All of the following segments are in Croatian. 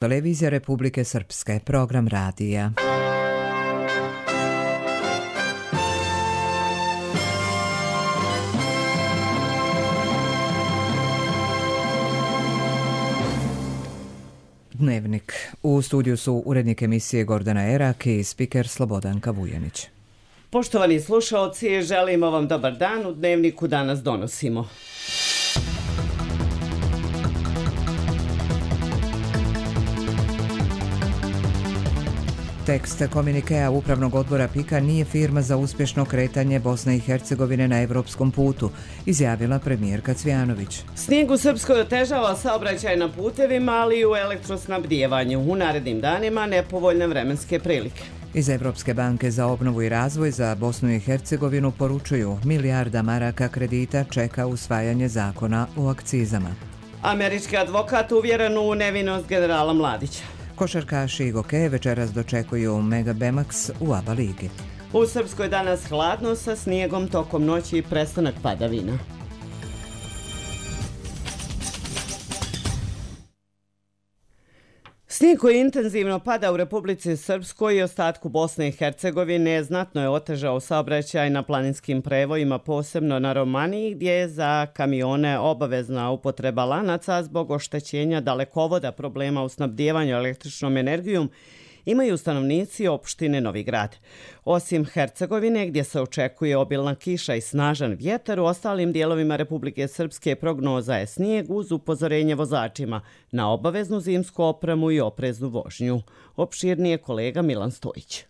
Televizija Republike Srpske, program radija. Dnevnik. U studiju su urednik emisije Gordana Erak i spiker Slobodanka Vujanić. Poštovani slušaoci, želimo vam dobar dan. U Dnevniku danas donosimo. Tekst komunikea Upravnog odbora PIK-a nije firma za uspješno kretanje Bosne i Hercegovine na evropskom putu, izjavila premijerka Cvijanović. Snijeg u Srpskoj otežava saobraćaj na putevima, ali i u elektrosnabdijevanju. U narednim danima nepovoljne vremenske prilike. Iz Evropske banke za obnovu i razvoj za Bosnu i Hercegovinu poručuju milijarda maraka kredita čeka usvajanje zakona o akcizama. Američki advokat uvjeren u nevinost generala Mladića. Košarkaši i gokeje večeras dočekuju Mega Bemax u ABA ligi. U Srpskoj danas hladno sa snijegom tokom noći i prestanak padavina. Snijeg koji intenzivno pada u Republici Srpskoj i ostatku Bosne i Hercegovine znatno je otežao saobraćaj na planinskim prevojima, posebno na Romaniji, gdje je za kamione obavezna upotreba lanaca zbog oštećenja dalekovoda, problema u snabdijevanju električnom energijom, imaju stanovnici opštine Novi Grad. Osim Hercegovine, gdje se očekuje obilna kiša i snažan vjetar, u ostalim dijelovima Republike Srpske prognoza je snijeg uz upozorenje vozačima na obaveznu zimsku opremu i opreznu vožnju. Opširnije kolega Milan Stojić.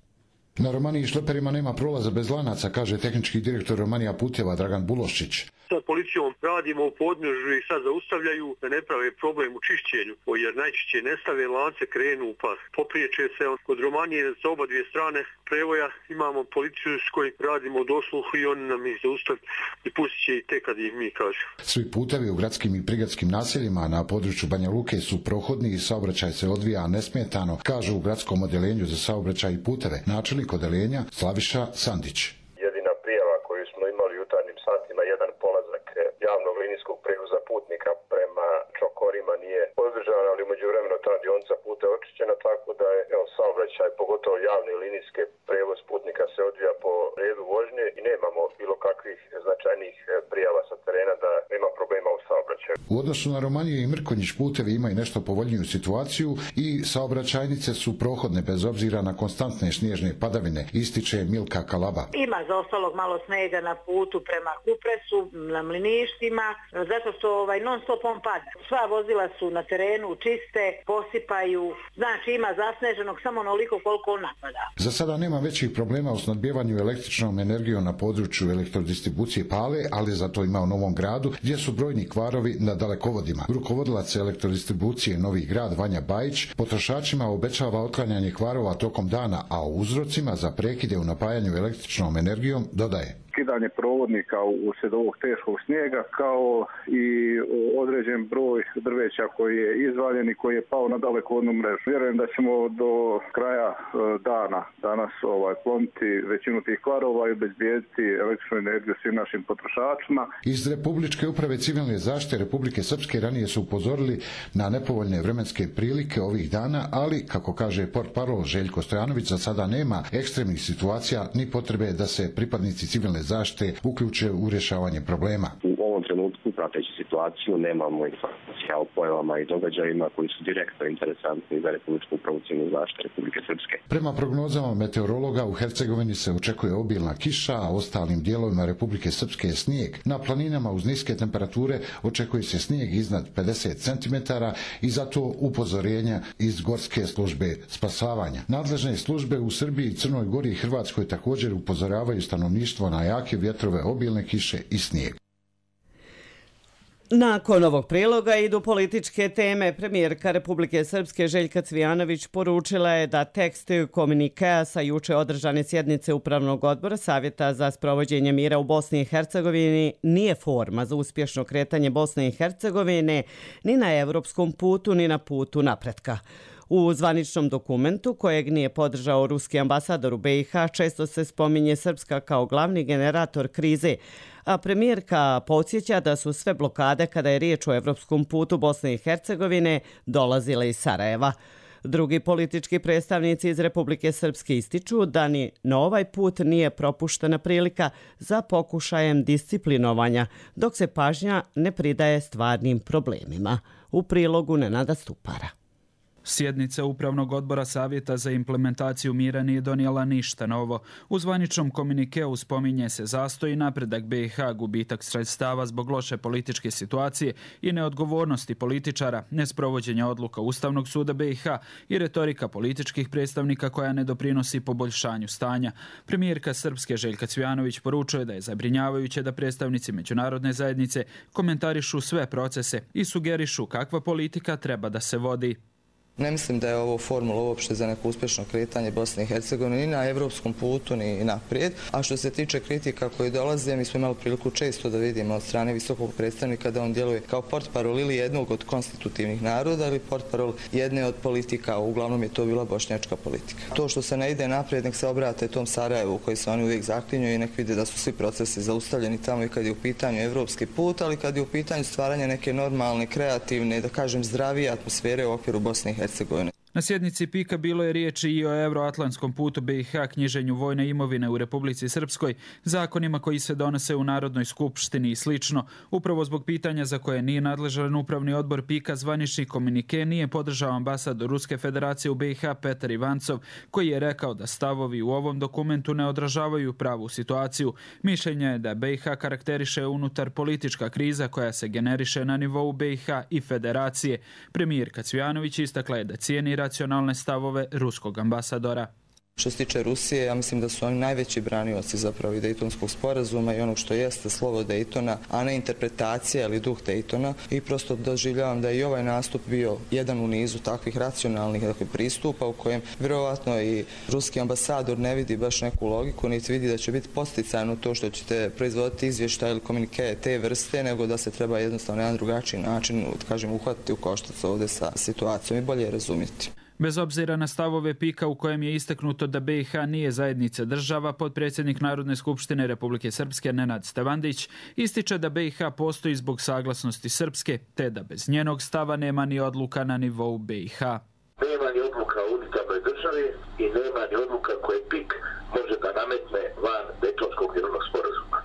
Na Romaniji šleperima nema prolaza bez lanaca, kaže tehnički direktor Romanija puteva Dragan Buloščić. Sa policijom radimo u podnožju i sad zaustavljaju da ne prave problem u čišćenju, jer najčešće ne stave lance, krenu u pas. Popriječe se kod Romanije sa oba dvije strane prevoja, imamo policiju s kojim radimo dosluhu i oni nam ih zaustaviti i pustit će i tek kad ih mi kažemo. Svi putevi u gradskim i prigradskim naseljima na području Banja Luke su prohodni i saobraćaj se odvija nesmetano, kažu u gradskom odeljenju za saobraćaj i puteve načelnik odeljenja Slaviša Sandić. Jedina prijava koju smo imali u jutarnjim satima, jedan polazak javnog linijskog prevoza putnika prema Čokorima nije održan, ali umeđu vremenu ta dionica puta je očišćena, tako da je saobraćaj, pogotovo javni linijski prevoz putnika se odvija po redu vožnje i nemamo bilo kakvih značajnih prijava sa terena da nema problema u saobraćaju. U odnosu na Romaniju i Mrkonjić putevi imaju nešto povoljniju situaciju i saobraćajnice su prohodne bez obzira na konstantne snježne padavine, ističe Milka Kalaba. Ima za ostalog malo snega na putu prema Kupresu, na Mliništima, zato što non stop on pada. Sva vozila su na terenu čiste, posipaju, znači ima zasneženog samo onoliko koliko on napada. Za sada nema većih problema u snabdijevanju električnom energijom na području elektrodistribucije Pale, ali zato ima u Novom Gradu gdje su brojni kvarovi na dalekovodima. Rukovodilac elektrodistribucije Novi Grad Vanja Bajić potrošačima obećava otklanjanje kvarova tokom dana, a o uzrocima za prekide u napajanju električnom energijom dodaje. Skidanje provodnika uslijed ovog teškog snijega, kao i određen broj drveća koji je izvaljen i koji je pao na dalekovodnu mrežu. Vjerujem da ćemo do kraja dana danas kloniti većinu tih kvarova i obezbijediti električnu energiju svim našim potrošačima. Iz Republičke uprave civilne zaštite Republike Srpske ranije su upozorili na nepovoljne vremenske prilike ovih dana, ali, kako kaže portparol Željko Stojanović, za sada nema ekstremnih situacija ni potrebe da se pripadnici civilne zaštite uključe u rješavanje problema. U ovom trenutku, prateći situaciju, nemamo informacija o pojavama i događajima koji su direktno interesantni za Republičku upravu civilne zaštite Republike Srpske. Prema prognozama meteorologa, u Hercegovini se očekuje obilna kiša, a ostalim dijelovima Republike Srpske je snijeg. Na planinama uz niske temperature očekuje se snijeg iznad 50 cm i zato upozorenja iz Gorske službe spasavanja. Nadležne službe u Srbiji, Crnoj Gori i Hrvatskoj također upozoravaju stanovništvo na jake vjetrove, obilne kiše i snijeg. Nakon ovog priloga idu političke teme. Premijerka Republike Srpske Željka Cvijanović poručila je da tekst komunikea sa juče održane sjednice Upravnog odbora Savjeta za sprovođenje mira u Bosni i Hercegovini nije forma za uspješno kretanje Bosne i Hercegovine ni na evropskom putu ni na putu napretka. U zvaničnom dokumentu, kojeg nije podržao ruski ambasador u BiH, često se spominje Srpska kao glavni generator krize, a premijerka podsjeća da su sve blokade kada je riječ o evropskom putu Bosne i Hercegovine dolazile iz Sarajeva. Drugi politički predstavnici iz Republike Srpske ističu da ni na ovaj put nije propuštena prilika za pokušajem disciplinovanja, dok se pažnja ne pridaje stvarnim problemima. U prilogu Nenada Stupara. Sjednica Upravnog odbora Savjeta za implementaciju mira nije donijela ništa novo. U zvaničnom komunikeu spominje se zastoj i napredak BiH, gubitak sredstava zbog loše političke situacije i neodgovornosti političara, nesprovođenja odluka Ustavnog suda BiH i retorika političkih predstavnika koja ne doprinosi poboljšanju stanja. Premijerka Srpske Željka Cvijanović poručuje da je zabrinjavajuće da predstavnici međunarodne zajednice komentarišu sve procese i sugerišu kakva politika treba da se vodi. Ne mislim da je ovo formula uopšte za neko uspješno kretanje Bosne i Hercegovine ni na evropskom putu ni naprijed. A što se tiče kritika koje dolaze, mi smo imali priliku često da vidimo od strane visokog predstavnika da on djeluje kao portparol ili jednog od konstitutivnih naroda ili portparol jedne od politika, uglavnom je to bila bošnjačka politika. To što se ne ide naprijed, nek se obrate tom Sarajevu koji se oni uvijek zaklinju i nek vide da su svi procesi zaustavljeni tamo i kad je u pitanju evropski put, ali kad je u pitanju stvaranje neke normalne, kreativne, da kažem zdravije atmosfere u okviru Bosne i Hercegovine. Na sjednici PIK-a bilo je riječi i o Euroatlantskom putu BiH, knjiženju vojne imovine u Republici Srpskoj, zakonima koji se donose u Narodnoj skupštini i slično. Upravo zbog pitanja za koje nije nadležan upravni odbor PIK-a, zvanični komunike nije podržao ambasador Ruske federacije u BiH Petar Ivancov, koji je rekao da stavovi u ovom dokumentu ne odražavaju pravu situaciju. Mišljenje je da BiH karakteriše unutar politička kriza koja se generiše na nivou BiH i federacije. Premijerka Cvijanović istakla je da cijeni racionalne stavove ruskog ambasadora. Što se tiče Rusije, ja mislim da su oni najveći branioci zapravo i Dejtonskog sporazuma i onog što jeste slovo Dejtona, a ne interpretacija ili duh Dejtona. I prosto doživljavam da je i ovaj nastup bio jedan u nizu takvih racionalnih pristupa u kojem vjerovatno i ruski ambasador ne vidi baš neku logiku, niti vidi da će biti posticajno to što ćete proizvoditi izvještaj ili komunike te vrste, nego da se treba jednostavno na jedan drugačiji način, kažem, uhvatiti u koštac ovdje sa situacijom i bolje razumjeti. Bez obzira na stavove PIK-a u kojem je istaknuto da BiH nije zajednica država, potpredsjednik Narodne skupštine Republike Srpske Nenad Stevandić ističe da BiH postoji zbog saglasnosti Srpske, te da bez njenog stava nema ni odluka na nivou BiH. Nema ni odluka u unitarnoj državi i nema ni odluka koje PIK može da nametne van Dejtonskog mirovnog sporazuma.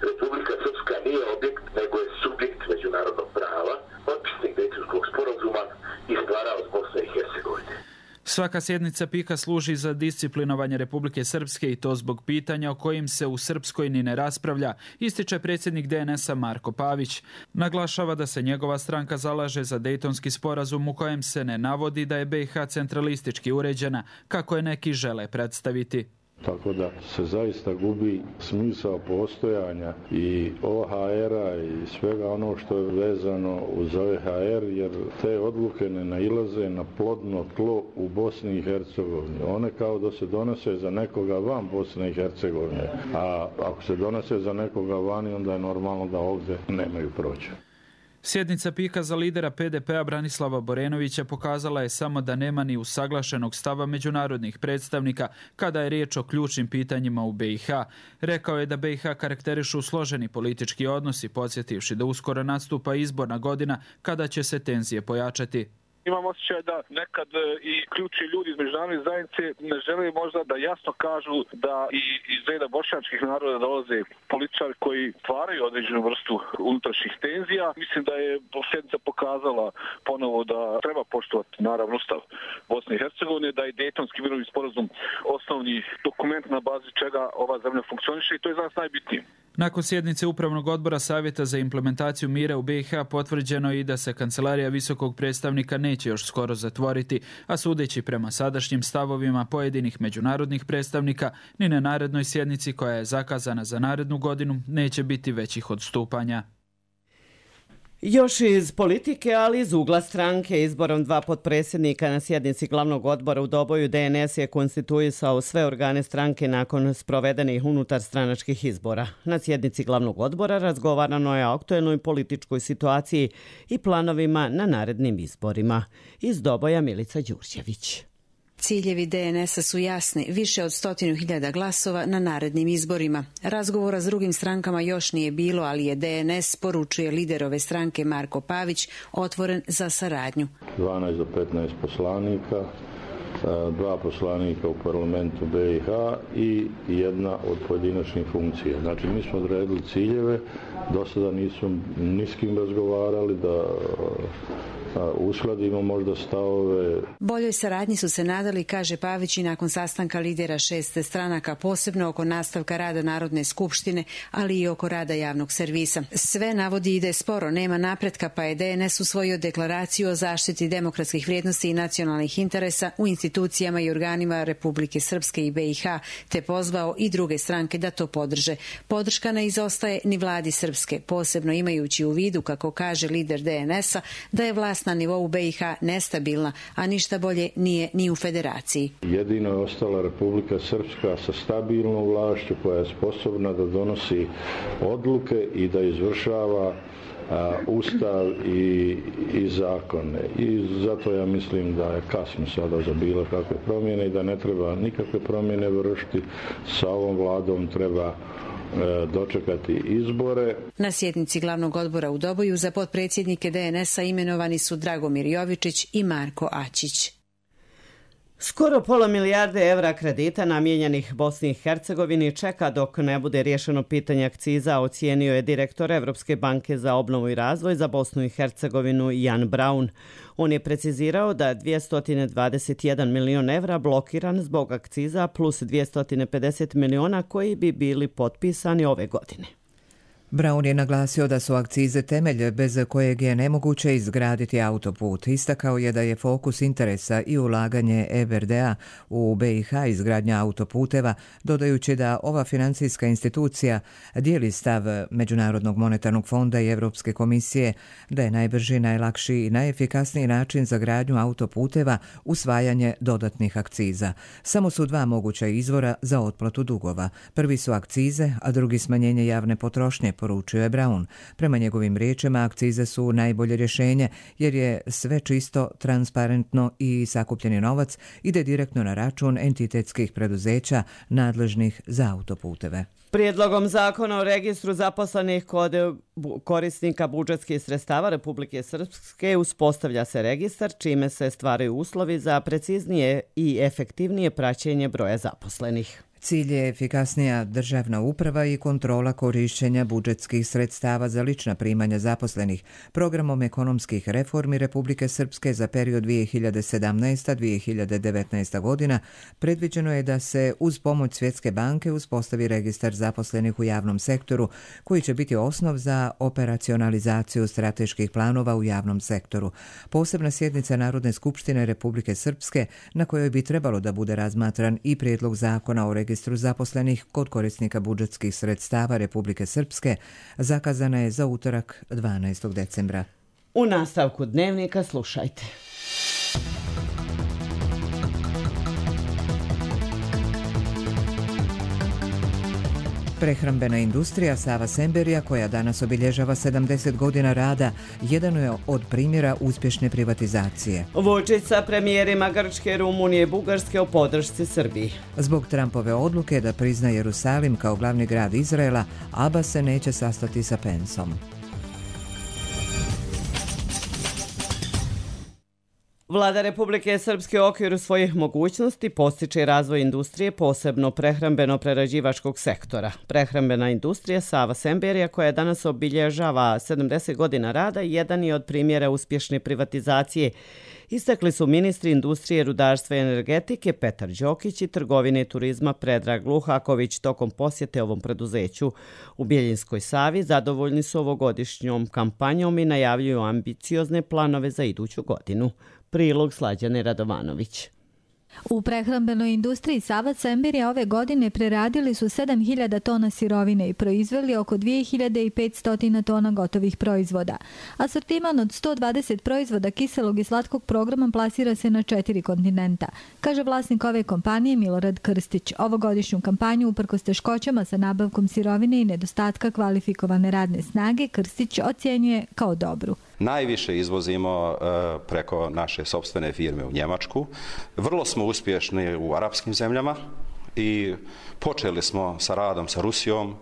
Republika Srpska nije objekt, nego je subjekt međunarodnog prava, potpisnik Dejtonskog sporazuma i stvaraoc Bosne i Hercegovine. Svaka sjednica PIK-a služi za disciplinovanje Republike Srpske i to zbog pitanja o kojim se u Srpskoj ni ne raspravlja, ističe predsjednik DNS-a Marko Pavić. Naglašava da se njegova stranka zalaže za Dejtonski sporazum u kojem se ne navodi da je BiH centralistički uređena, kako je neki žele predstaviti. Tako da se zaista gubi smisao postojanja i OHR-a i svega ono što je vezano uz OHR, jer te odluke ne nailaze na plodno tlo u Bosni i Hercegovini. One kao da se donose za nekoga van Bosne i Hercegovine, a ako se donose za nekoga vani, onda je normalno da ovdje nemaju proći. Sjednica PIK-a za lidera PDP-a Branislava Borenovića pokazala je samo da nema ni usaglašenog stava međunarodnih predstavnika kada je riječ o ključnim pitanjima u BiH. Rekao je da BiH karakterišu složeni politički odnosi, podsjetivši da uskoro nastupa izborna godina kada će se tenzije pojačati. Imam osjećaj da nekad i ključni ljudi iz međunarodne zajednice ne žele možda da jasno kažu da i iz reda bošnjačkih naroda dolaze političari koji stvaraju određenu vrstu unutrašnjih tenzija. Mislim da je sjednica pokazala ponovo da treba poštovati naravno Ustav Bosne i Hercegovine, da je Dejtonski mirovni sporazum osnovni dokument na bazi čega ova zemlja funkcioniše i to je za nas najbitnije. Nakon sjednice Upravnog odbora Savjeta za implementaciju mira u BiH potvrđeno je i da se kancelarija visokog predstavnika neće još skoro zatvoriti, a sudeći prema sadašnjim stavovima pojedinih međunarodnih predstavnika, ni na narednoj sjednici koja je zakazana za narednu godinu neće biti većih odstupanja. Još iz politike, ali iz ugla stranke, izborom 2 potpredsjednika na sjednici glavnog odbora u Doboju DNS je konstituisao sve organe stranke nakon sprovedenih unutar stranačkih izbora. Na sjednici glavnog odbora razgovarano je o aktuelnoj političkoj situaciji i planovima na narednim izborima. Iz Doboja Milica Đurđević. Ciljevi DNS-a su jasni, više od 100.000 glasova na narednim izborima. Razgovora s drugim strankama još nije bilo, ali je DNS, poručuje lider ove stranke Marko Pavić, otvoren za saradnju. 12 do 15 poslanika, 2 poslanika u parlamentu BiH i jedna od pojedinačnih funkcija. Znači, mi smo odredili ciljeve, do sada nismo ni s kim razgovarali, da uskladimo možda stavove. Boljoj saradnji su se nadali, kaže Pavić, i nakon sastanka lidera 6 stranaka, posebno oko nastavka rada Narodne skupštine, ali i oko rada javnog servisa. Sve navodi ide sporo, nema napretka, pa je DNS usvojio deklaraciju o zaštiti demokratskih vrijednosti i nacionalnih interesa u institucijama i organima Republike Srpske i BiH, te pozvao i druge stranke da to podrže. Podrška ne izostaje ni vladi Srpske, posebno imajući u vidu, kako kaže lider DNS-a, da je vlast na nivou BiH nestabilna, a ništa bolje nije ni u federaciji. Jedino je ostala Republika Srpska sa stabilnom vlašću koja je sposobna da donosi odluke i da izvršava ustav i zakone. I zato ja mislim da je kasno sada za bilo kakve promjene i da ne treba nikakve promjene vršiti. Sa ovom vladom treba dočekati izbore. Na sjednici glavnog odbora u Doboju za potpredsjednike DNS-a imenovani su Dragomir Jovičić i Marko Ačić. Skoro pola milijarde evra kredita namijenjenih Bosni i Hercegovini čeka dok ne bude riješeno pitanje akciza, ocijenio je direktor Evropske banke za obnovu i razvoj za Bosnu i Hercegovinu Jan Braun. On je precizirao da 221 milion evra blokiran zbog akciza plus 250 miliona koji bi bili potpisani ove godine. Braun je naglasio da su akcize temelj bez kojeg je nemoguće izgraditi autoput. Istakao je da je fokus interesa i ulaganje EBRD-a u BiH izgradnja autoputeva, dodajući da ova financijska institucija dijeli stav Međunarodnog monetarnog fonda i Europske komisije da je najbrži, najlakši i najefikasniji način za gradnju autoputeva usvajanje dodatnih akciza. Samo su 2 moguća izvora za otplatu dugova. Prvi su akcize, a drugi smanjenje javne potrošnje, poručio je Braun. Prema njegovim riječima, akcize su najbolje rješenje jer je sve čisto, transparentno i sakupljeni novac ide direktno na račun entitetskih preduzeća nadležnih za autoputeve. Prijedlogom zakona o registru zaposlenih kod korisnika budžetskih sredstava Republike Srpske uspostavlja se registar, čime se stvaraju uslovi za preciznije i efektivnije praćenje broja zaposlenih. Cilj je efikasnija državna uprava i kontrola korišćenja budžetskih sredstava za lična primanja zaposlenih. Programom ekonomskih reformi Republike Srpske za period 2017-2019 godina predviđeno je da se uz pomoć Svjetske banke uspostavi registar zaposlenih u javnom sektoru, koji će biti osnov za operacionalizaciju strateških planova u javnom sektoru. Posebna sjednica Narodne skupštine Republike Srpske, na kojoj bi trebalo da bude razmatran i prijedlog zakona o registru zaposlenih kod korisnika budžetskih sredstava Republike Srpske, zakazana je za utorak 12. decembra. U nastavku dnevnika slušajte. Prehrambena industrija Sava Semberija, koja danas obilježava 70 godina rada, jedan je od primjera uspješne privatizacije. Vučić sa premijerima Grčke, Rumunije i Bugarske o podršci Srbiji. Zbog Trumpove odluke da prizna Jerusalim kao glavni grad Izraela, Abbas se neće sastati sa Penceom. Vlada Republike Srpske u okviru svojih mogućnosti postiče razvoj industrije, posebno prehrambeno-prerađivačkog sektora. Prehrambena industrija Sava Semberija, koja danas obilježava 70 godina rada, jedan je od primjera uspješne privatizacije. Istakli su ministri industrije, rudarstva i energetike Petar Đokić i trgovine i turizma Predrag Luhaković tokom posjete ovom preduzeću. U Bjeljinskoj Savi zadovoljni su ovogodišnjom kampanjom i najavljuju ambiciozne planove za iduću godinu. Prilog Slađane Radovanović. U prehrambenoj industriji Sava Semberija ove godine preradili su 7.000 tona sirovine i proizveli oko 2.500 tona gotovih proizvoda. Asortiman od 120 proizvoda kiselog i slatkog programa plasira se na 4 kontinenta, kaže vlasnik ove kompanije Milorad Krstić. Ovogodišnju kampanju, uprkos teškoćama sa nabavkom sirovine i nedostatka kvalifikovane radne snage, Krstić ocjenjuje kao dobru. Najviše izvozimo preko naše sopstvene firme u Njemačku. Vrlo smo uspješni u arapskim zemljama i počeli smo sa radom sa Rusijom.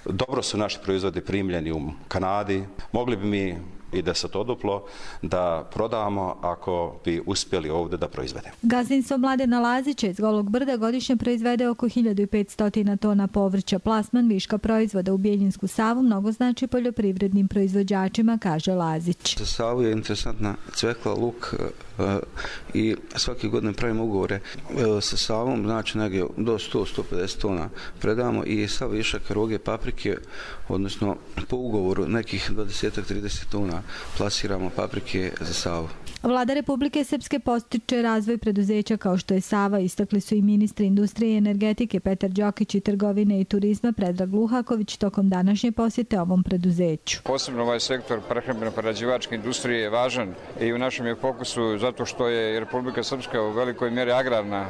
Dobro su naši proizvodi primljeni u Kanadi. Mogli bi mi i desetoduplo da prodamo ako bi uspjeli ovdje da proizvedemo. Gazdinstvo Mladena Lazića iz Golog Brda godišnje proizvede oko 1500 tona povrća. Plasman viška proizvoda u Bijeljinsku Savu mnogo znači poljoprivrednim proizvođačima, kaže Lazić. Za Savu je interesantna cvekla, luk i svake godine pravimo ugovore sa Savom, znači negdje do 100-150 tona predamo i sav višak roge, paprike, odnosno po ugovoru nekih 20-30 tona plasiramo paprike za Savu. Vlada Republike Srpske postiče razvoj preduzeća kao što je Sava, istakli su i ministri industrije i energetike Petar Đokić i trgovine i turizma Predrag Luhaković tokom današnje posjete ovom preduzeću. Posebno ovaj sektor prehrambeno-prerađivačke industrije je važan i u našem je fokusu zato što je Republika Srpska u velikoj mjeri agrarna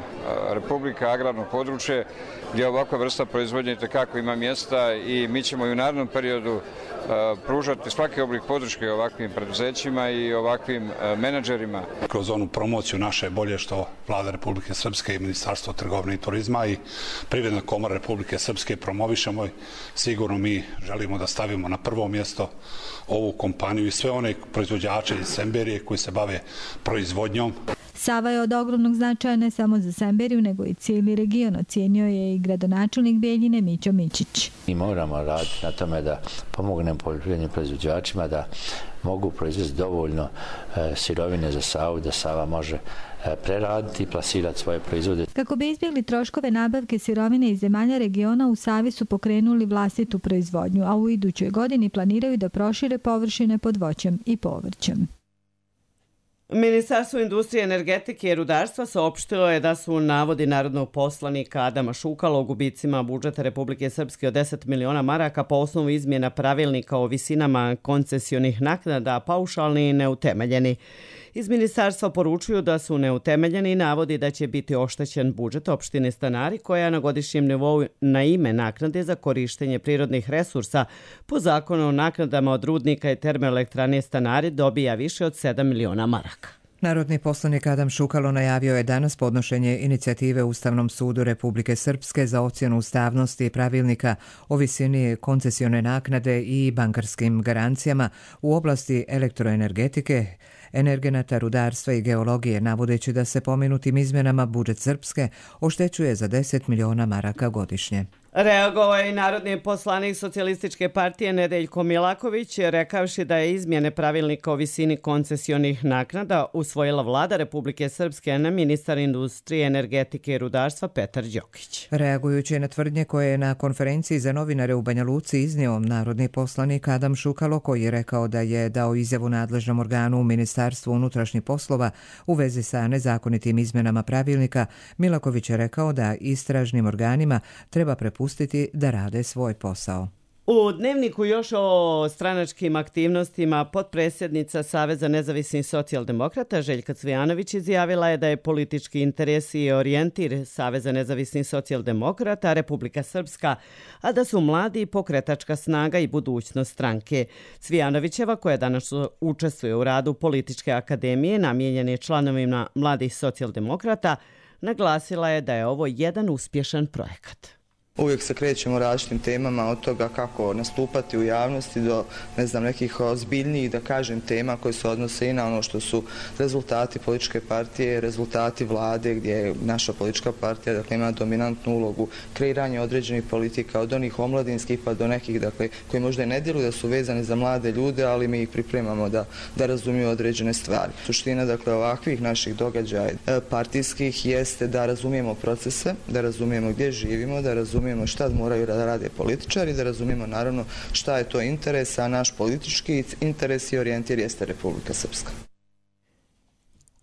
republika, agrarno područje gdje ovakva vrsta proizvodnje itekako ima mjesta i mi ćemo i u narednom periodu pružati svaki oblik podrške ovakvim preduzećima i ovakvim menadžerima. Kroz onu promociju naše bolje što Vlada Republike Srpske i Ministarstvo trgovine i turizma i Privredna komora Republike Srpske promovišemo i sigurno mi želimo da stavimo na prvo mjesto ovu kompaniju i sve one proizvođače iz Semberije koji se bave proizvodnjom. Sava je od ogromnog značaja ne samo za Semberiju, nego i cijeli region, ocijenio je i gradonačelnik Bijeljine Mićo Mićić. Mi moramo raditi na tome da pomognemo poljoprivrednim proizvođačima da mogu proizvesti dovoljno sirovine za Savu, da Sava može preraditi i plasirati svoje proizvode. Kako bi izbjegli troškove nabavke sirovine iz zemalja regiona, u Savi su pokrenuli vlastitu proizvodnju, a u idućoj godini planiraju da prošire površine pod voćem i povrćem. Ministarstvo industrije, energetike i rudarstva saopštilo je da su navodi narodnog poslanika Adama Šukala o gubicima budžeta Republike Srpske od 10 miliona maraka po osnovu izmjena pravilnika o visinama koncesionih naknada paušalni i neutemeljeni. Iz ministarstva poručuju da su neutemeljeni i navodi da će biti oštećen budžet opštine Stanari koja na godišnjem nivou na ime naknade za korištenje prirodnih resursa po zakonu o naknadama od rudnika i termoelektrane Stanari dobija više od 7 miliona maraka. Narodni poslanik Adam Šukalo najavio je danas podnošenje inicijative Ustavnom sudu Republike Srpske za ocjenu ustavnosti pravilnika o visini koncesione naknade i bankarskim garancijama u oblasti elektroenergetike, energenata, rudarstva i geologije, navodeći da se pomenutim izmjenama budžet Srpske oštećuje za 10 miliona maraka godišnje. Reagovao je i narodni poslanik Socijalističke partije Nedeljko Milaković, rekavši da je izmjene pravilnika o visini koncesionih naknada usvojila Vlada Republike Srpske, na ministar industrije, energetike i rudarstva Petar Đokić. Reagujući na tvrdnje koje je na konferenciji za novinare u Banja Luci iznio narodni poslanik Adam Šukalo, koji je rekao da je dao izjavu nadležnom organu u Ministarstvu unutrašnjih poslova u vezi sa nezakonitim izmjenama pravilnika, Milaković je rekao da istražnim organima treba prepustiti da rade svoj posao. U Dnevniku još o stranačkim aktivnostima potpredsjednica Saveza nezavisnih socijaldemokrata Željka Cvijanović izjavila je da je politički interes i orijentir Saveza nezavisnih socijaldemokrata Republika Srpska, a da su mladi pokretačka snaga i budućnost stranke. Cvijanovićeva, koja danas učestvuje u radu političke akademije namijenjene članovima mladih socijaldemokrata, naglasila je da je ovo jedan uspješan projekat. Uvijek se krećemo različitim temama, od toga kako nastupati u javnosti do nekih ozbiljnijih, da kažem, tema koje se odnose i na ono što su rezultati političke partije, rezultati vlade gdje je naša politička partija ima dominantnu ulogu kreiranja određenih politika, od onih omladinskih pa do nekih koji možda i ne djeluju da su vezani za mlade ljude, ali mi ih pripremamo da razumiju određene stvari. Suština ovakvih naših događaja partijskih jeste da razumijemo procese, da razumijemo gdje živimo, da razumijemo šta moraju da rade političari, da razumijemo naravno šta je to interes, a naš politički interes i orijentir jeste Republika Srpska.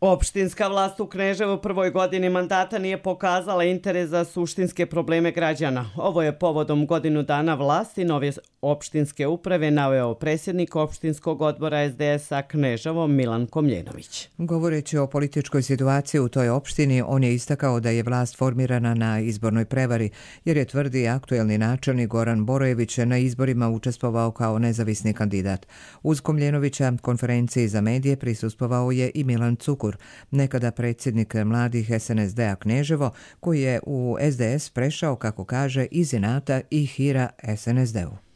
Opštinska vlast u Kneževu u prvoj godini mandata nije pokazala interes za suštinske probleme građana. Ovo je povodom godinu dana vlasti nove opštinske uprave naveo predsjednik opštinskog odbora SDS-a Kneževo Milan Komljenović. Govoreći o političkoj situaciji u toj opštini, on je istakao da je vlast formirana na izbornoj prevari, jer je tvrdi aktuelni načelnik Goran Borojević na izborima učestvovao kao nezavisni kandidat. Uz Komljenovića konferenciji za medije prisustvovao je i Milan Cukur, nekada predsjednik mladih SNSD-a Kneževo, koji je u SDS prešao, kako kaže, iz inata i hira SNSD-u.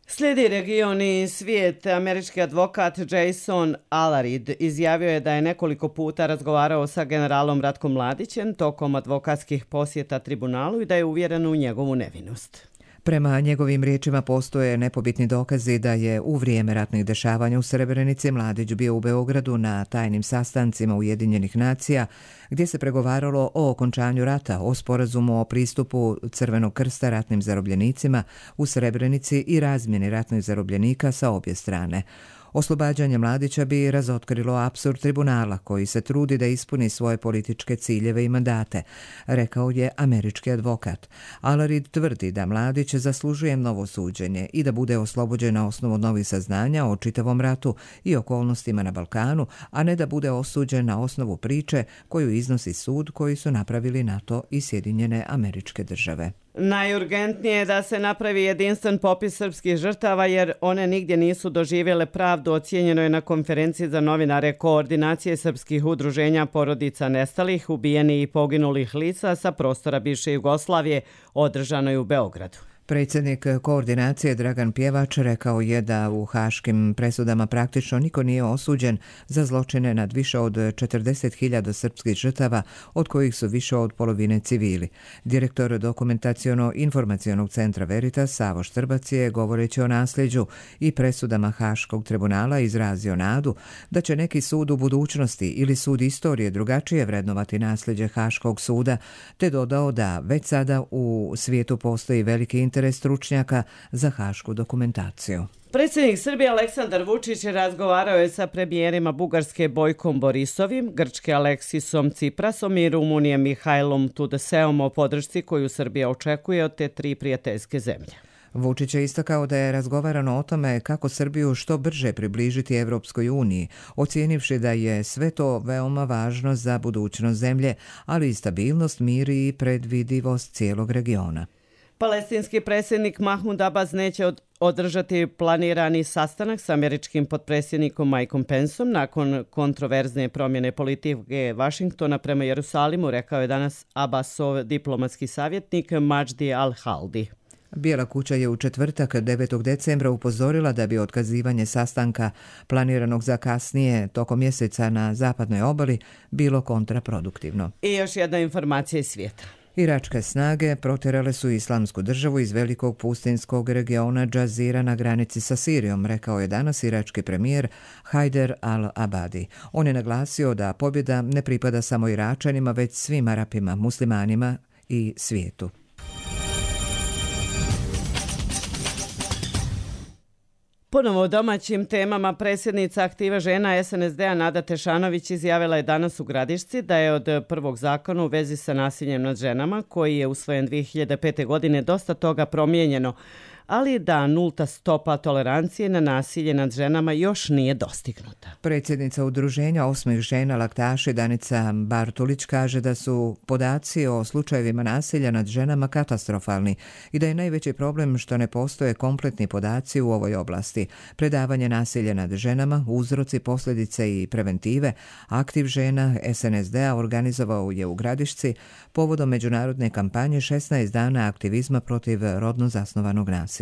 Slijedi region i svijet. Američki advokat Jason Alarid izjavio je da je nekoliko puta razgovarao sa generalom Ratkom Mladićem tokom advokatskih posjeta tribunalu i da je uvjeren u njegovu nevinost. Prema njegovim riječima postoje nepobitni dokazi da je u vrijeme ratnih dešavanja u Srebrenici Mladić bio u Beogradu na tajnim sastancima Ujedinjenih nacija gdje se pregovaralo o okončanju rata, o sporazumu o pristupu Crvenog krsta ratnim zarobljenicima u Srebrenici i razmjeni ratnih zarobljenika sa obje strane. Oslobađanje Mladića bi razotkrilo apsurd tribunala koji se trudi da ispuni svoje političke ciljeve i mandate, rekao je američki advokat. Alarid tvrdi da Mladić zaslužuje novo suđenje i da bude oslobođen na osnovu novih saznanja o čitavom ratu i okolnostima na Balkanu, a ne da bude osuđen na osnovu priče koju iznosi sud koji su napravili NATO i Sjedinjene Američke Države. Najurgentnije je da se napravi jedinstven popis srpskih žrtava jer one nigdje nisu doživjele pravdu, ocijenjeno je na konferenciji za novinare Koordinacije srpskih udruženja porodica nestalih, ubijenih i poginulih lica sa prostora bivše Jugoslavije, održanoj u Beogradu. Predsjednik koordinacije Dragan Pjevač rekao je da u haškim presudama praktično niko nije osuđen za zločine nad više od 40.000 srpskih žrtava, od kojih su više od polovine civili. Direktor dokumentaciono-informacionog centra Veritas Savo Štrbac je, govoreći o nasljeđu i presudama Haškog tribunala, izrazio nadu da će neki sud u budućnosti ili sud istorije drugačije vrednovati nasljeđe Haškog suda, te dodao da već sada u svijetu postoji veliki interes stručnjaka za hašku dokumentaciju. Predsjednik Srbije Aleksandar Vučić razgovarao je sa premijerima Bugarske Bojkom Borisovim, Grčke Aleksisom Ciprasom i Rumunije Mihajlom Tudeseom o podršci koju Srbija očekuje od te tri prijateljske zemlje. Vučić je istakao da je razgovarano o tome kako Srbiju što brže približiti Evropskoj uniji, ocijenivši da je sve to veoma važno za budućnost zemlje, ali i stabilnost, mir i predvidivost cijelog regiona. Palestinski predsjednik Mahmud Abbas neće održati planirani sastanak s američkim potpredsjednikom Mikeom Penceom nakon kontroverzne promjene politike Vašingtona prema Jerusalimu, rekao je danas Abbasov diplomatski savjetnik Majdi al-Haldi. Bijela kuća je u četvrtak 9. decembra upozorila da bi otkazivanje sastanka planiranog za kasnije tokom mjeseca na zapadnoj obali bilo kontraproduktivno. I još jedna informacija iz svijeta. Iračke snage protjerale su Islamsku državu iz velikog pustinskog regiona Džazira na granici sa Sirijom, rekao je danas irački premijer Hajder al-Abadi. On je naglasio da pobjeda ne pripada samo Iračanima, već svim Arapima, muslimanima i svijetu. Ponovo o domaćim temama. Predsjednica aktive žena SNSD-a Nada Tešanović izjavila je danas u Gradišci da je od prvog zakona u vezi sa nasiljem nad ženama, koji je usvojen 2005. godine, dosta toga promijenjeno, ali da nulta stopa tolerancije na nasilje nad ženama još nije dostignuta. Predsjednica udruženja 8 žena laktaši Danica Bartulić kaže da su podaci o slučajevima nasilja nad ženama katastrofalni i da je najveći problem što ne postoje kompletni podaci u ovoj oblasti. Predavanje nasilja nad ženama, uzroci, posljedice i preventive, aktiv žena SNSD-a organizovao je u Gradišci povodom međunarodne kampanje 16 dana aktivizma protiv rodno zasnovanog nasilja.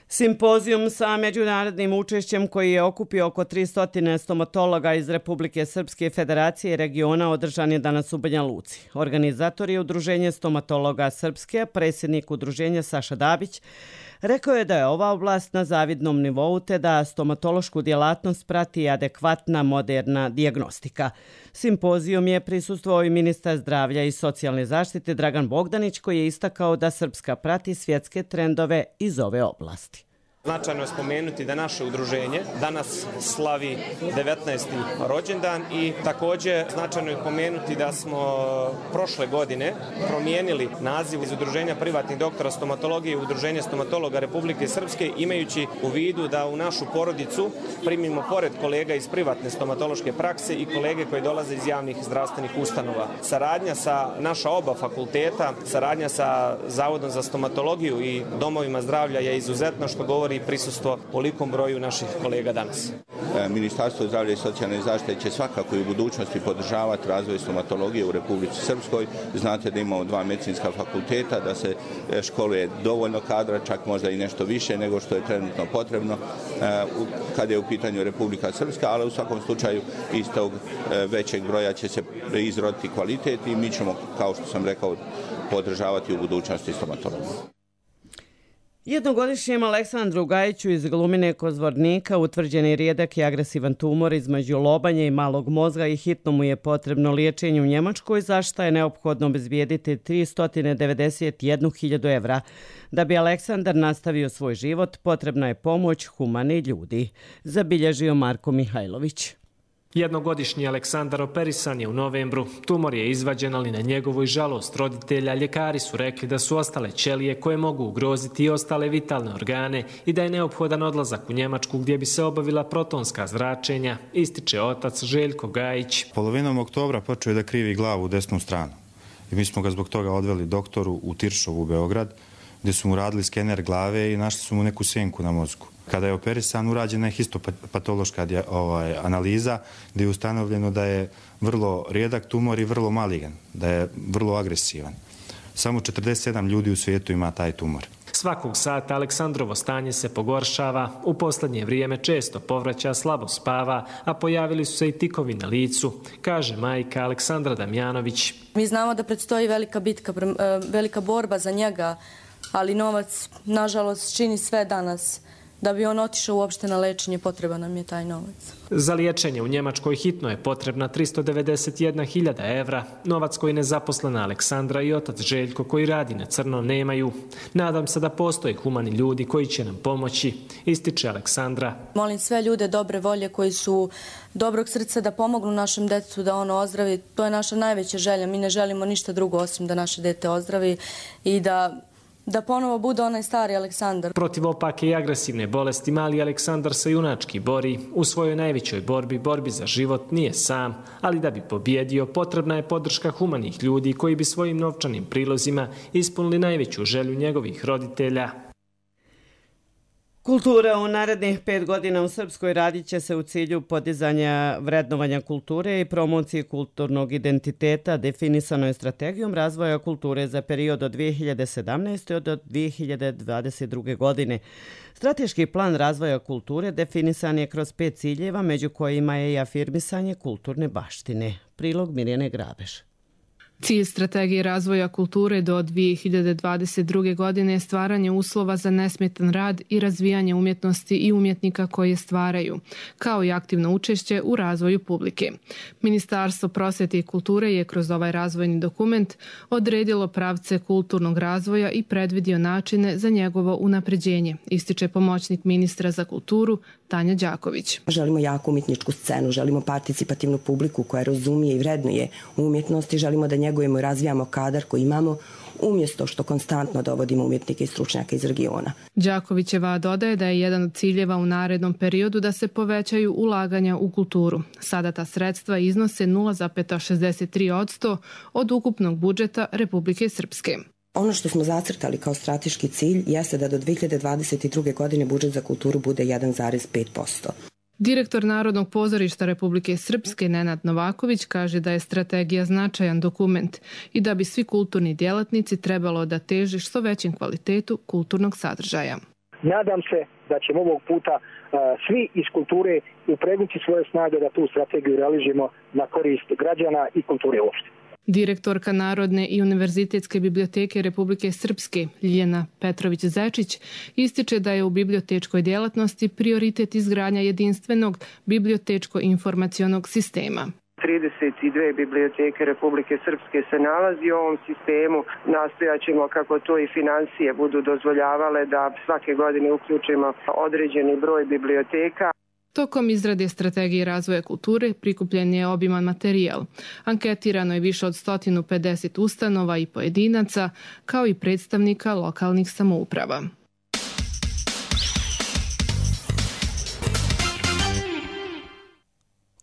Simpozijum sa međunarodnim učešćem koji je okupio oko 300 stomatologa iz Republike Srpske, Federacije i regiona održan je danas u Banja Luci. Organizator je Udruženje stomatologa Srpske, predsjednik udruženja Saša Dabić, rekao je da je ova oblast na zavidnom nivou te da stomatološku djelatnost prati adekvatna moderna dijagnostika. Simpozijum je prisustvovao i ministar zdravlja i socijalne zaštite Dragan Bogdanić, koji je istakao da Srpska prati svjetske trendove iz ove oblasti. Značajno je spomenuti da naše udruženje danas slavi 19. rođendan i također značajno je pomenuti da smo prošle godine promijenili naziv iz Udruženja privatnih doktora stomatologije u Udruženje stomatologa Republike Srpske, imajući u vidu da u našu porodicu primimo pored kolega iz privatne stomatološke prakse i kolege koji dolaze iz javnih zdravstvenih ustanova. Saradnja sa naša oba fakulteta, saradnja sa Zavodom za stomatologiju i domovima zdravlja je izuzetno, što govori prisustvo velikom broju naših kolega danas. Ministarstvo zdravlja i socijalne zaštite će svakako i u budućnosti podržavati razvoj stomatologije u Republici Srpskoj. Znate da imamo 2 medicinska fakulteta, da se školuje dovoljno kadra, čak možda i nešto više nego što je trenutno potrebno kada je u pitanju Republika Srpska, ali u svakom slučaju iz tog većeg broja će se izroditi kvalitet i mi ćemo, kao što sam rekao, podržavati u budućnosti stomatologiju. Jednogodišnjem Aleksandru Gajiću iz Glumine kod Zvornika utvrđen je rijedak i agresivan tumor između lobanje i malog mozga i hitno mu je potrebno liječenje u Njemačkoj, za što je neophodno obezbijediti 391.000 evra. Da bi Aleksandar nastavio svoj život, potrebna je pomoć humanih ljudi, zabilježio Marko Mihajlović. Jednogodišnji Aleksandar operisan je u novembru. Tumor je izvađen, ali na njegovu i žalost roditelja ljekari su rekli da su ostale ćelije koje mogu ugroziti i ostale vitalne organe i da je neophodan odlazak u Njemačku gdje bi se obavila protonska zračenja, ističe otac Željko Gajić. Polovinom oktobra počeo je da krivi glavu u desnu stranu i mi smo ga zbog toga odveli doktoru u Tiršovu u Beograd, gdje su mu radili skener glave i našli su mu neku senku na mozgu. Kada je operisan, urađena je histopatološka analiza gdje je ustanovljeno da je vrlo rijedak tumor i vrlo maligan, da je vrlo agresivan. Samo 47 ljudi u svijetu ima taj tumor. Svakog sata Aleksandrovo stanje se pogoršava. U posljednje vrijeme često povraća, slabo spava, a pojavili su se i tikovi na licu, kaže majka Aleksandra Damjanović. Mi znamo da predstoji velika bitka, velika borba za njega, ali novac, nažalost, čini sve danas. Da bi on otišao uopšte na lečenje, potreban nam je taj novac. Za liječenje u Njemačkoj hitno je potrebna 391.000 evra. Novac koji nezaposlena Aleksandra i otac Željko koji radi na crno nemaju. Nadam se da postoje humani ljudi koji će nam pomoći, ističe Aleksandra. Molim sve ljude dobre volje koji su dobrog srca da pomognu našem detetu da ono ozdravi. To je naša najveća želja. Mi ne želimo ništa drugo osim da naše dete ozdravi i da ponovo bude onaj stari Aleksandar. Protiv opake i agresivne bolesti mali Aleksandar se junački bori. U svojoj najvećoj borbi za život, nije sam, ali da bi pobjedio potrebna je podrška humanih ljudi koji bi svojim novčanim prilozima ispunili najveću želju njegovih roditelja. Kultura u narednih 5 godina u Srpskoj radit će se u cilju podizanja vrednovanja kulture i promocije kulturnog identiteta. Definisano je strategijom razvoja kulture za period od 2017. do 2022. godine. Strateški plan razvoja kulture definisan je kroz 5 ciljeva, među kojima je i afirmisanje kulturne baštine. Prilog Mirjane Grabež. Cilj strategije razvoja kulture do 2022. godine je stvaranje uslova za nesmetan rad i razvijanje umjetnosti i umjetnika koji je stvaraju, kao i aktivno učešće u razvoju publike. Ministarstvo prosvjete i kulture je kroz ovaj razvojni dokument odredilo pravce kulturnog razvoja i predvidio načine za njegovo unapređenje, ističe pomoćnik ministra za kulturu Tanja Đaković. Želimo jaku umjetničku scenu, želimo participativnu publiku koja razumije i vrednuje umjetnost i želimo da njegujemo i razvijamo kadar koji imamo umjesto što konstantno dovodimo umjetnike i stručnjaka iz regiona. Đakovićeva dodaje da je jedan od ciljeva u narednom periodu da se povećaju ulaganja u kulturu. Sada ta sredstva iznose 0,63% od ukupnog budžeta Republike Srpske. Ono što smo zacrtali kao strateški cilj jeste da do 2022. godine budžet za kulturu bude 1,5%. Direktor Narodnog pozorišta Republike Srpske Nenad Novaković kaže da je strategija značajan dokument i da bi svi kulturni djelatnici trebalo da teže što većem kvalitetu kulturnog sadržaja. Nadam se da ćemo ovog puta svi iz kulture upregnuti svoje snage da tu strategiju realizujemo na korist građana i kulture uopšte. Direktorka Narodne i univerzitetske biblioteke Republike Srpske Ljiljana Petrović-Zečić ističe da je u bibliotečkoj djelatnosti prioritet izgradnja jedinstvenog bibliotečko-informacionog sistema. 32 biblioteke Republike Srpske se nalazi u ovom sistemu. Nastojat ćemo, kako to i financije budu dozvoljavale, da svake godine uključimo određeni broj biblioteka. Tokom izrade strategije razvoja kulture prikupljen je obiman materijal. Anketirano je više od 150 ustanova i pojedinaca, kao i predstavnika lokalnih samouprava.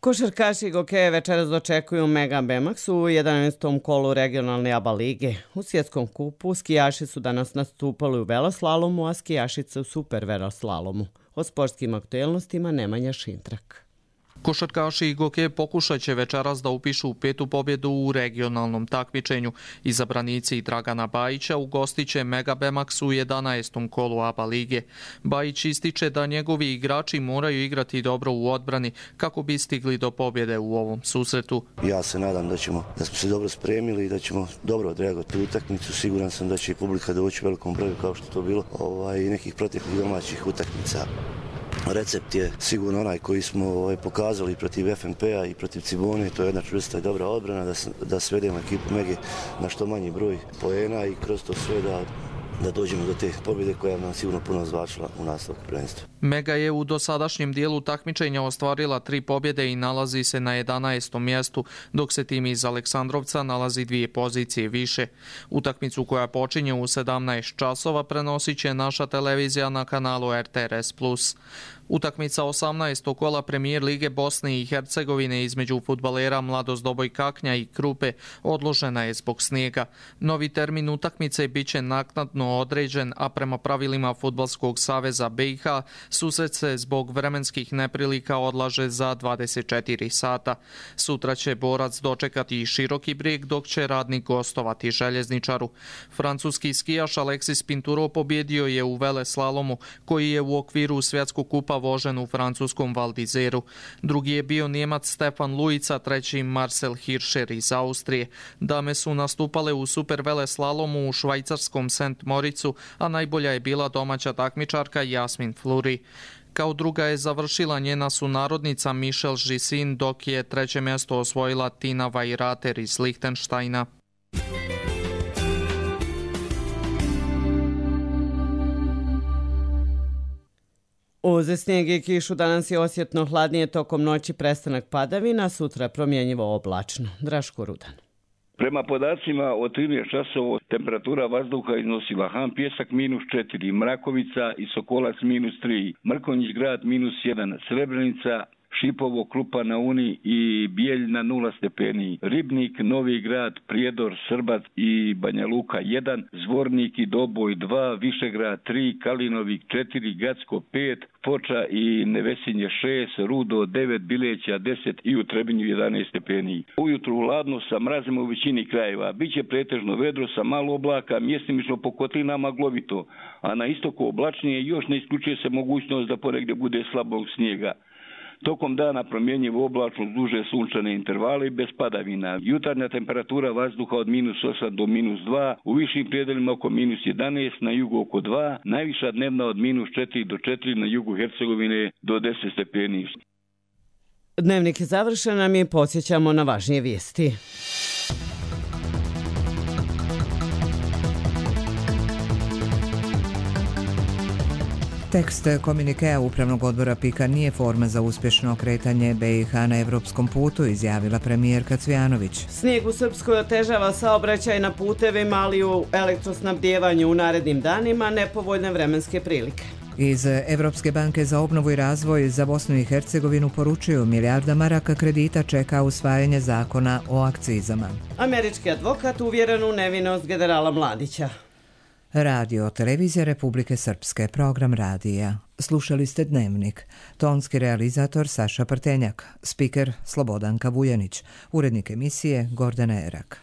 Košarkaši Gokeje večeras dočekuju Mega Bemax u 11. kolu regionalne ABA lige. U svjetskom kupu skijaši su danas nastupali u veloslalomu, a skijašice u super veloslalomu. O sportskim aktuelnostima Nemanja Šintrak. Košarkaši i Gokeje pokušat će večeras da upišu 5. pobjedu u regionalnom takmičenju. Izabranici Dragana Bajića ugostit će Mega Bemax u 11. kolu ABA lige. Bajić ističe da njegovi igrači moraju igrati dobro u odbrani kako bi stigli do pobjede u ovom susretu. Ja se nadam da smo se dobro spremili i da ćemo dobro odreagovati utakmicu. Siguran sam da će i publika doći u velikom broju kao što to bilo i nekih proteklih domaćih utakmica. Recept je sigurno onaj koji smo pokazali protiv FNP-a i protiv Cibone. To je jedna čvrsta i dobra odbrana, da svedemo ekipu Mege na što manji broj poena i kroz to sve da dođemo do te pobjede koja nam sigurno puno značila u nastavku prvenstva. Mega je u dosadašnjem dijelu takmičenja ostvarila 3 pobjede i nalazi se na 11. mjestu, dok se tim iz Aleksandrovca nalazi 2 pozicije više. Utakmicu koja počinje u 17 časova prenosit će naša televizija na kanalu RTRS+. Utakmica 18. kola Premijer Lige Bosne i Hercegovine između fudbalera Mladost Doboj Kaknja i Krupe odložena je zbog snijega. Novi termin utakmice biće naknadno određen, a prema pravilima Fudbalskog saveza BiH susret se zbog vremenskih neprilika odlaže za 24 sata. Sutra će borac dočekati i Široki Brijeg, dok će Radnik gostovati Željezničaru. Francuski skijaš Alexis Pinturo pobjedio je u veleslalomu, koji je u okviru svjetskog kupa vožen u francuskom Val d'Izeru. Drugi je bio Njemac Stefan Lujica, treći Marcel Hirscher iz Austrije. Dame su nastupale u super veleslalomu u švajcarskom St. Moricu, a najbolja je bila domaća takmičarka Jasmin Fluri. Kao druga je završila njena sunarodnica Michelle Gisin, dok je treće mjesto osvojila Tina Weirater iz Lichtensteina. Uz snijeg i kišu danas je osjetno hladnije, tokom noći prestanak padavina, sutra promjenjivo oblačno. Draško Rudan. Prema podacima od 13 časova temperatura vazduha iznosila Han Pjesak -4, Mrakovica i Sokolac -3, Mrkonjić Grad -1, Srebrenica, Šipovo, Krupa na Uni i Bijeljna 0 stepeni, Ribnik, Novi Grad, Prijedor, Srbac i Banja Luka 1, Zvornik i Doboj 2, Višegrad 3, Kalinovik 4, Gacko 5, Foča i Nevesinje 6, Rudo 9, Bileća 10 i u Trebinju 11 stepeni. Ujutru hladno sa mrazima u većini krajeva. Biće pretežno vedro sa malo oblaka, mjestimično po kotlinama glovito, a na istoku oblačnije još ne isključuje se mogućnost da ponegdje bude slabog snijega. Tokom dana promjenjivo oblačno duže sunčane intervale bez padavina. Jutarnja temperatura vazduha od -8 do -2, u višim prijedelima oko -11, na jugu oko 2, najviša dnevna od -4 do 4 na jugu Hercegovine do 10 stepeni. Dnevnik je završen, a mi podsjećamo na važnije vijesti. Tekst komunikea Upravnog odbora PIK-a nije forma za uspješno kretanje BiH na evropskom putu, izjavila premijerka Cvijanović. Snijeg u Srpskoj otežava saobraćaj na putevima, ali u elektrosnabdjevanju u narednim danima nepovoljne vremenske prilike. Iz Evropske banke za obnovu i razvoj za Bosnu i Hercegovinu poručuju milijarda maraka kredita čeka usvajanje zakona o akcizama. Američki advokat uvjeren u nevinost generala Mladića. Radio Televizija Republike Srpske, program radija. Slušali ste Dnevnik. Tonski realizator Saša Prtenjak, spiker Slobodanka Vujanić, urednik emisije Gordana Erak.